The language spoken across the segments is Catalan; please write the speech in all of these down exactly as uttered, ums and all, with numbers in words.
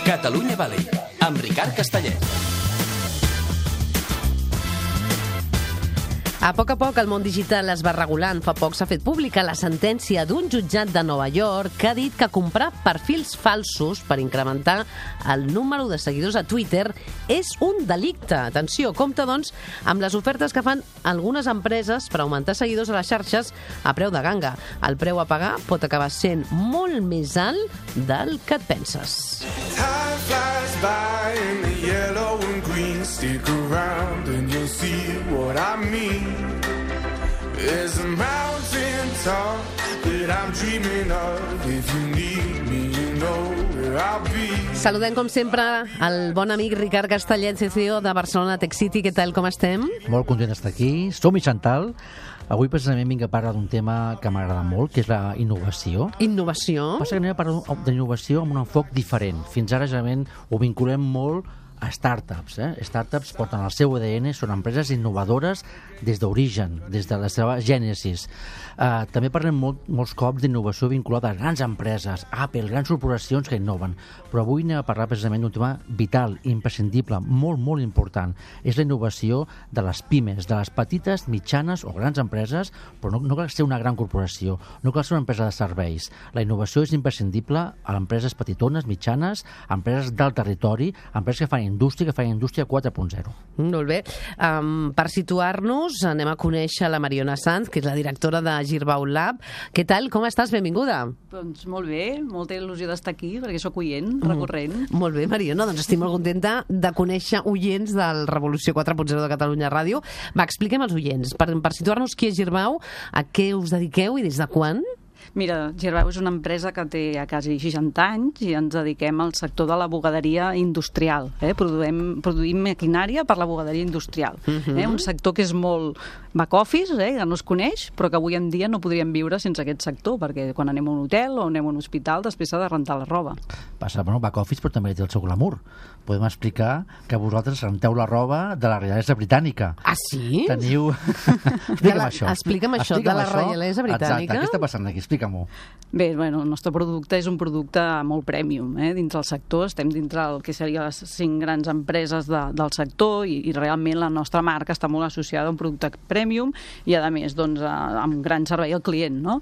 Catalunya Valley, amb Ricard Castellet. A poc a poc el món digital es va regulant. Fa poc s'ha fet pública la sentència d'un jutjat de Nova York que ha dit que comprar perfils falsos per incrementar el número de seguidors a Twitter és un delicte. Atenció, compte, doncs, amb les ofertes que fan algunes empreses per augmentar seguidors a les xarxes a preu de ganga. El preu a pagar pot acabar sent molt més alt del que et penses. Time flies by in the yellow and green. Stick around and you'll see what I mean. There's a mountain top that I'm dreaming of. If you need me, you know where I'll be. Saludem, com sempre, el bon amic Ricard Castellet, C C O de Barcelona Tech City. Què tal, com estem? Molt content d'estar aquí. Som-hi, Chantal. Avui precisament vinc a parlar d'un tema que m'agrada molt, que és la innovació. Innovació? Passa que anem a parlar d'innovació amb un enfoc diferent. Fins ara, generalment, ho vinculem molt a startups. Eh? Startups porten el seu A D N, són empreses innovadores des d'origen, des de la seva gènesis. Uh, també parlem molt, molts cops d'innovació vinculada a grans empreses, Apple, grans corporacions que innoven. Però avui anem a parlar precisament d'un tema vital, imprescindible, molt, molt important. És la innovació de les pimes, de les petites, mitjanes o grans empreses, però no, no cal ser una gran corporació, no cal ser una empresa de serveis. La innovació és imprescindible a empreses petitones, mitjanes, empreses del territori, empreses que fan indústria, que fa indústria quatre punt zero. Molt bé. Um, per situar-nos, anem a conèixer la Mariona Sanz, que és la directora de Girbau Lab. Què tal? Com estàs? Benvinguda. Doncs molt bé, molta il·lusió d'estar aquí, perquè sóc oient, recorrent. Mm. Molt bé, Mariona, doncs estic molt contenta de conèixer oients del Revolució quatre punt zero de Catalunya Ràdio. Va, expliquem als oients, per, per situar-nos qui és Girbau, a què us dediqueu i des de quan? Mira, Girbau és una empresa que té ja quasi seixanta anys i ens dediquem al sector de la bugaderia industrial. Eh? Produïm, produïm maquinària per la bugaderia industrial. Uh-huh. eh? Un sector que és molt back-office, eh? que no es coneix, però que avui en dia no podríem viure sense aquest sector, perquè quan anem a un hotel o anem a un hospital després s'ha de rentar la roba. Passa, bueno, back-office, però també té el seu glamour. Podem explicar que vosaltres renteu la roba de la reialesa britànica. Ah, sí? Teniu... Explica'm la... això. Explica'm això, Explica'm de la això. reialesa britànica. Exacte, què està passant aquí? Explica-m'ho. Bé, bueno, el nostre producte és un producte molt premium, eh? Dins del sector, estem dintre el que serien les cinc grans empreses de, del sector i, i realment la nostra marca està molt associada a un producte premium i, a més, doncs, a, amb gran servei al client, no?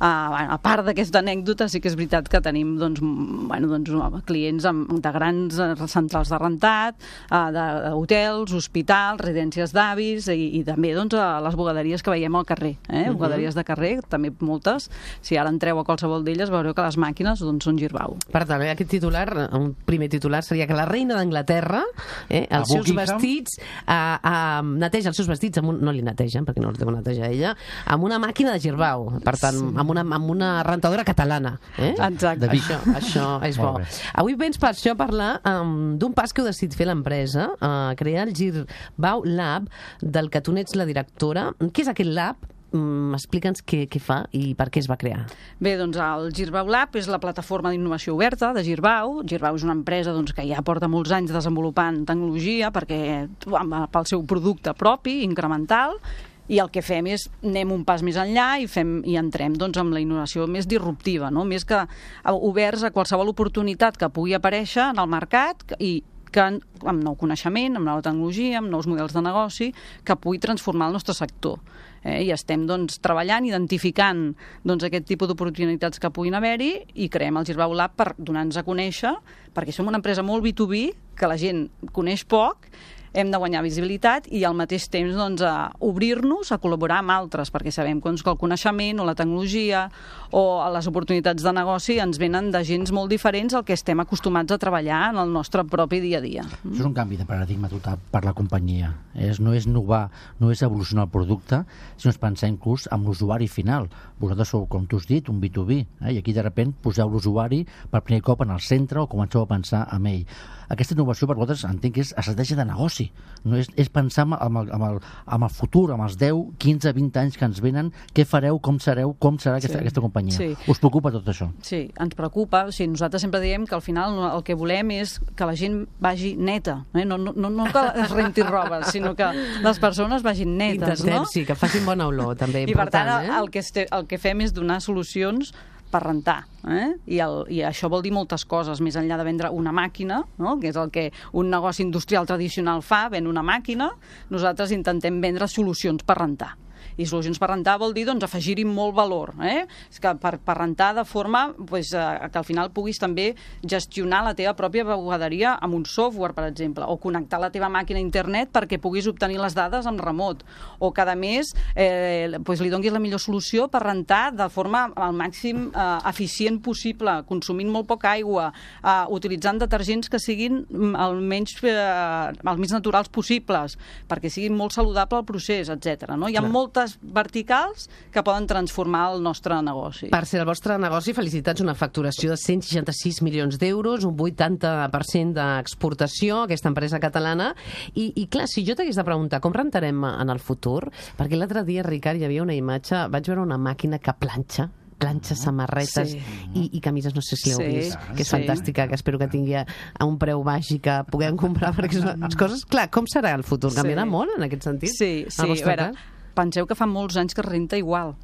A, a part d'aquesta anècdota, sí que és veritat que tenim, doncs, bueno, doncs, clients amb, de grans centrals de rentat, d'hotels, hospitals, residències d'avis i, i també, doncs, a les bugaderies que veiem al carrer, eh? Uh-huh. Bugaderies de carrer, també moltes. Si ara entreu a qualsevol d'elles veureu que les màquines, doncs, són Girbau. Per tant, aquest titular, un primer titular seria que la reina d'Anglaterra, eh, els seus vestits, eh, eh, neteja els seus vestits, amb un, no li netegen, perquè no els deu netejar ella, amb una màquina de Girbau, per tant, sí. amb, una, amb una rentadora catalana. Eh? Exacte. Això, això és bo. Avui vens per això a parlar um, d'un pas que heu decidit fer l'empresa, uh, crear el Girbau Lab, del que tu n'ets la directora. Què és aquest lab? Mm, explica'ns què, què fa i per què es va crear. Bé, doncs el Girbau Lab és la plataforma d'innovació oberta de Girbau. Girbau és una empresa, doncs, que ja porta molts anys desenvolupant tecnologia perquè, pel seu producte propi, incremental, i el que fem és anem un pas més enllà i, fem, i entrem, doncs, amb la innovació més disruptiva, no? Més que oberts a qualsevol oportunitat que pugui aparèixer en el mercat i que amb nou coneixement, amb nova tecnologia, amb nous models de negoci, que pugui transformar el nostre sector. Eh, I estem, doncs, treballant, identificant, doncs, aquest tipus d'oportunitats que puguin haver-hi i creem el Girbau Lab per donar-nos a conèixer, perquè som una empresa molt B dos B, que la gent coneix poc, hem de guanyar visibilitat i al mateix temps, doncs, a obrir-nos a col·laborar amb altres, perquè sabem doncs, que el coneixement o la tecnologia o les oportunitats de negoci ens venen de gens molt diferents al que estem acostumats a treballar en el nostre propi dia a dia. Això és un canvi de paradigma total per la companyia. És, no és innovar, no és evolucionar el producte, sinó és pensar inclús amb l'usuari final. Vosaltres sou, com tu has dit, un B dos B, eh? I aquí de sobte poseu l'usuari per primer cop en el centre o comenceu a pensar en ell. Aquesta innovació per vosaltres entenc que és estratègia de negoci, no és, és pensar amb el, amb, el, amb el futur, amb els deu, quinze, vint anys que ens venen, què fareu, com sereu, com serà aquesta, sí. aquesta companyia. Sí. Us preocupa tot això? Sí, ens preocupa. O sigui, nosaltres sempre diem que al final el que volem és que la gent vagi neta, eh? no, no, no que es renti roba, sinó que les persones vagin netes. Intentem, no? sí, que facin bona olor, també I important. per tant, eh? el, que este, el que fem és donar solucions per rentar. Eh? I, el, I això vol dir moltes coses, més enllà de vendre una màquina, no? Que és el que un negoci industrial tradicional fa, ven una màquina, nosaltres intentem vendre solucions per rentar. I solucions per rentar vol dir doncs, afegir-hi molt valor. Eh? És que per, per rentar de forma pues, eh, que al final puguis també gestionar la teva pròpia bugaderia amb un software, per exemple, o connectar la teva màquina a internet perquè puguis obtenir les dades amb remot, o que a més eh, pues, li donis la millor solució per rentar de forma al màxim eh, eficient possible, consumint molt poca aigua, eh, utilitzant detergents que siguin el menys, eh, els més naturals possibles, perquè siguin molt saludable el procés, etcètera. No? Hi ha Clar. moltes verticals que poden transformar el nostre negoci. Per ser el vostre negoci, felicitats, una facturació de cent seixanta-sis milions d'euros, un vuitanta per cent d'exportació, aquesta empresa catalana. I, i clar, si jo t'hagués de preguntar com rentarem en el futur, perquè l'altre dia, Ricard, hi havia una imatge, vaig veure una màquina que planxa, planxa, samarretes sí. i, i camises, no sé si l'heu sí, vist, que és sí. fantàstica, que espero que tingui a un preu baix i que puguem comprar, perquè són les coses... Clar, com serà el futur? Canviarà sí. molt en aquest sentit? Sí, sí. A veure, penseu que fa molts anys que es renta igual.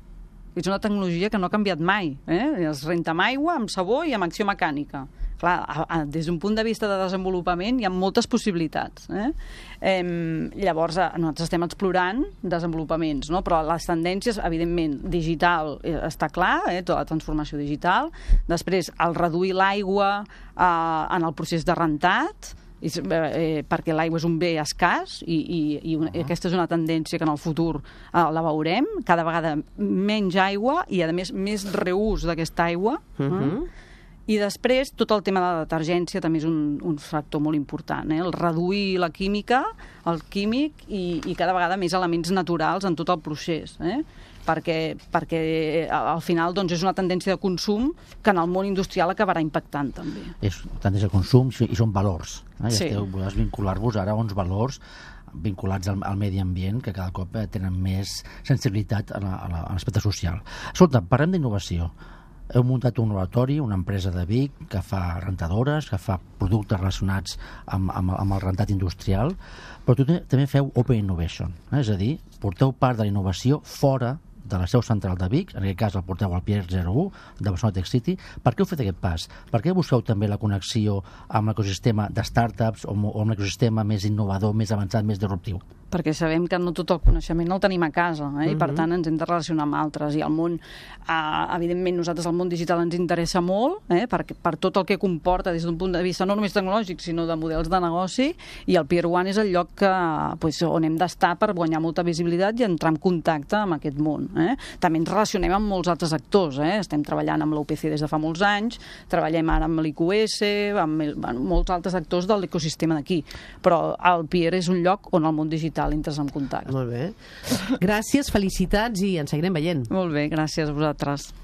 És una tecnologia que no ha canviat mai. Eh? Es renta amb aigua, amb sabó i amb acció mecànica. Clar, a, a, des d'un punt de vista de desenvolupament hi ha moltes possibilitats. Eh? Eh, llavors, nosaltres estem explorant desenvolupaments, no? Però les tendències, evidentment, digital eh, està clar, eh? Tota la transformació digital. Després, el reduir l'aigua eh, en el procés de rentat, I, eh, perquè l'aigua és un bé escàs i, i, i una, uh-huh. aquesta és una tendència que en el futur eh, la veurem, cada vegada menys aigua i a més més reús d'aquesta aigua. Uh-huh. eh? I després tot el tema de la detergència també és un, un factor molt important, eh? El reduir la química, el químic i, i cada vegada més elements naturals en tot el procés, eh? perquè, perquè al final doncs, és una tendència de consum que en el món industrial acabarà impactant també. És tendència de consum i són valors. Eh? Sí. I esteu, podeu vincular-vos ara a uns valors vinculats al, al medi ambient que cada cop tenen més sensibilitat a l'aspecte social. Escolta, parlem d'innovació. Heu muntat un laboratori, una empresa de Vic que fa rentadores, que fa productes relacionats amb, amb, amb el rentat industrial, però tu també feu Open Innovation, eh? És a dir, porteu part de la innovació fora de la seu central de Vic, en aquest cas el porteu al Pier zero u de Barcelona Tech City. Per què heu fet aquest pas? Per què busqueu també la connexió amb l'ecosistema de startups o amb l'ecosistema més innovador, més avançat, més disruptiu? Perquè sabem que no tot el coneixement el tenim a casa, eh? I per tant ens hem de relacionar amb altres. I el món, eh, evidentment, nosaltres el món digital ens interessa molt, eh? per, per tot el que comporta des d'un punt de vista no només tecnològic, sinó de models de negoci, i el Pier One és el lloc que, pues, on hem d'estar per guanyar molta visibilitat i entrar en contacte amb aquest món. Eh? També ens relacionem amb molts altres actors. Eh? Estem treballant amb l'U P C des de fa molts anys, treballem ara amb l'I Q S, amb, el, amb molts altres actors de l'ecosistema d'aquí. Però el Pier és un lloc on el món digital entres en contacte. Molt bé. Gràcies, felicitats i ens seguirem veient. Molt bé, gràcies a vosaltres.